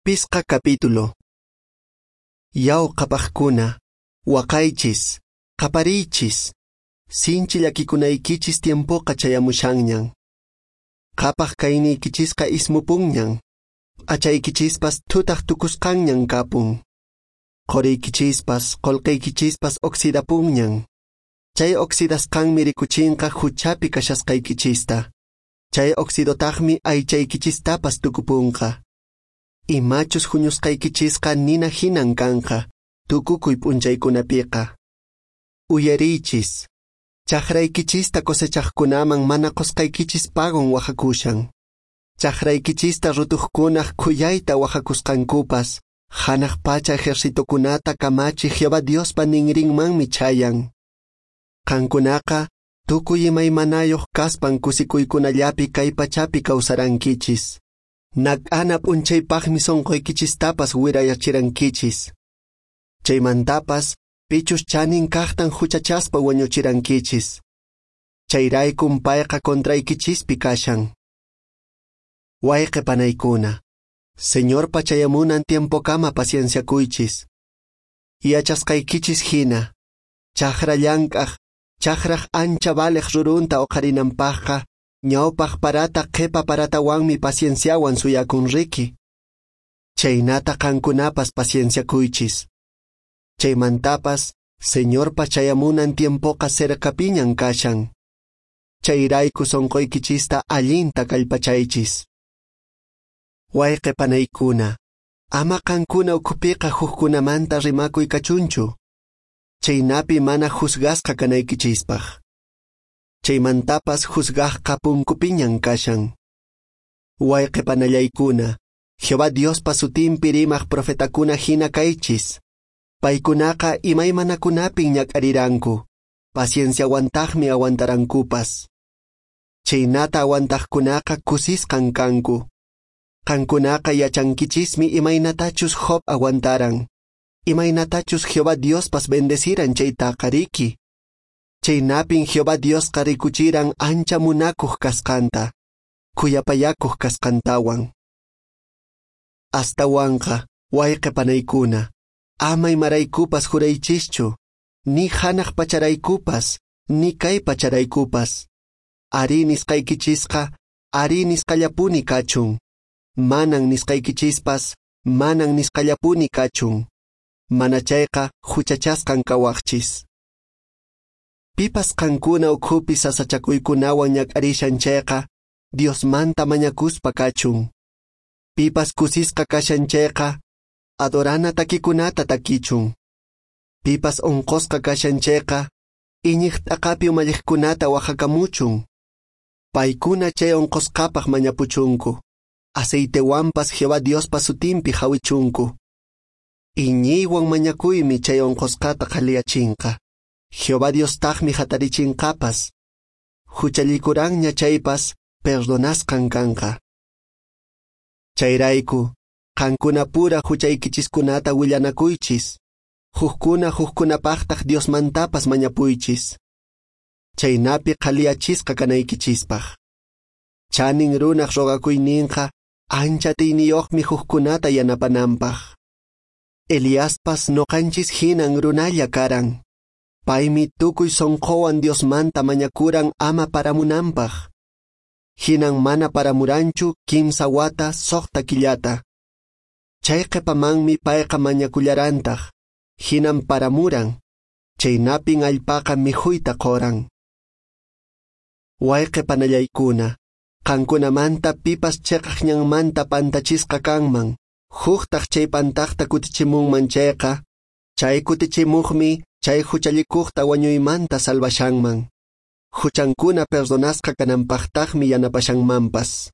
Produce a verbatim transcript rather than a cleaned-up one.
Pisqa capítulo. Yaw qhapaqkuna, waqaychis, qapariychis, sinchi llakikunaykichis tiempoqa chayamushanñan. Qhapaq kayniykichisqa ismupunñan, p'achaykichispas thutaq tukusqanñan kapun. Quriykichispas, qullqiykichispas oxidapunñan. Chay oxidasqanmi rikuchinqa huchapi kashasqaykichista. Chay oxidotaqmi aychaykichistapas tukupunqa. Imachus huñusqaykichisqa nina hinan kanqa, tukukuy p'unchaykunapiqa. Uyariychis, chakraykichista cosechaqkunaman mana qusqaykichis pagon waqakushan. Chakraykichista rutuqkunaq khuyayta waqakusqankupas, hanaq pacha ejercitokunata kamachi Jehová Diospa ninrinmanmi chayan. Qankunaqa tukuy imaymanayuq kaspan kusikuykunallapi kay pachapi kawsarankichis. Nak'ana p'unchaypaqmi sunquykichistapas wirayachirankichis. Chaymantapas pichus chanin kaqtan huchachaspa wañuchirankichis. Chayraykum payqa contraykichispi kashan. Wayqe panaykuna, Señorpa chayamunan tiempokama pacienciakuychis. Yachasqaykichis hina, chakra llank'aq, chakraq ancha valeq rurunta uqharinanpaqqa, ñawpaq parata qhipa paratawanmi pacienciawan suyakun riki. Chaynata qankunapas pacienciakuychis. Chaymantapas, Señorpa chayamunan tiempoqa cercapiñan kashan. Chayrayku sunquykichista allinta kallpachaychis. Wayqe panaykuna, ama qankuna ukhupiqa hukkunamanta rimakuy kachunchu. Chaynapi mana juzgasqa kanaykichispaq. Chaymantapas juzgaqqa punkupiñan kashan. Wayqe panallaykuna, Jehová Diospa sutinpi rimaq profetakuna hina kaychis. Paykunaqa imaymanakunapin ñak'ariranku, pacienciawantaqmi aguantarankupas. Chaynata aguantaqkunaqa kusisqan kanku. Qankunaqa yachankichismi imaynatachus Job aguantaran, imaynatachus Jehová Diospas bendeciran chaytaqa riki. Chaynapin Jehová Diosqa rikuchiran ancha munakuq kasqanta, khuyapayakuq kasqantawan. Astawanqa, wayqe panaykuna, ama imaraykupas juraychischu, ni hanaq pacharaykupas, ni kay pacharaykupas. Arí nisqaykichisqa, arí nisqallapuni kachun. Manan nisqaykichispas, manan nisqallapuni kachun. Mana chayqa huchachasqan kawaqchis. Pipas qankuna ukhupi sasachakuykunawan ñak'arishan chayqa, Diosmanta mañakuspa kachun. Pipas kusisqa kashan chayqa, adorana takikunata takichun. Pipas unqusqa kashan chayqa, iñiq t'aqapi umalliqkunata waqhakamuchun. Paykuna chay unqusqapaq mañapuchunku. Aceitewanpas Jehová Diospa sutinpi hawichunku. Iñiywan mañakuymi chay unqusqata qhaliyachinqa. Jehová Diostaqmi hatarichinqapas. Huchallikuranña chaypas perdonasqan kanqa. Chayrayku, qankunapura huchaykichiskunata willanakuychis. Hukkuna hukkunapaqtaq Diosmantapas mañapuychis. Chaynapi qhaliyachisqa kanaykichispaq. Chanin runaq rogakuyninqa ancha atiyniyuqmi hukkunata yanapananpaq. Eliaspas noqanchis hinan runalla karan. Paymi tukuy sunquwan Diosmanta mañakuran ama paramunanpaq. Hinan mana paramuranchu kimsa wata suqta killata. Chay qhipamanmi payqa mañakullarantaq. Hinan paramuran. Chaynapin allpaqa mikhuyta quran. Wayqe panallaykuna, qankunamanta pipas chiqaq ñanmanta pantachisqa kanman, huktaq chay pantaqta kutichimunman chayqa, chay kutichimuqmi chay huchallikuqta wañuymanta salvashanman. Huchankuna perdonasqa kananpaqtaqmi yanapashanmanpas.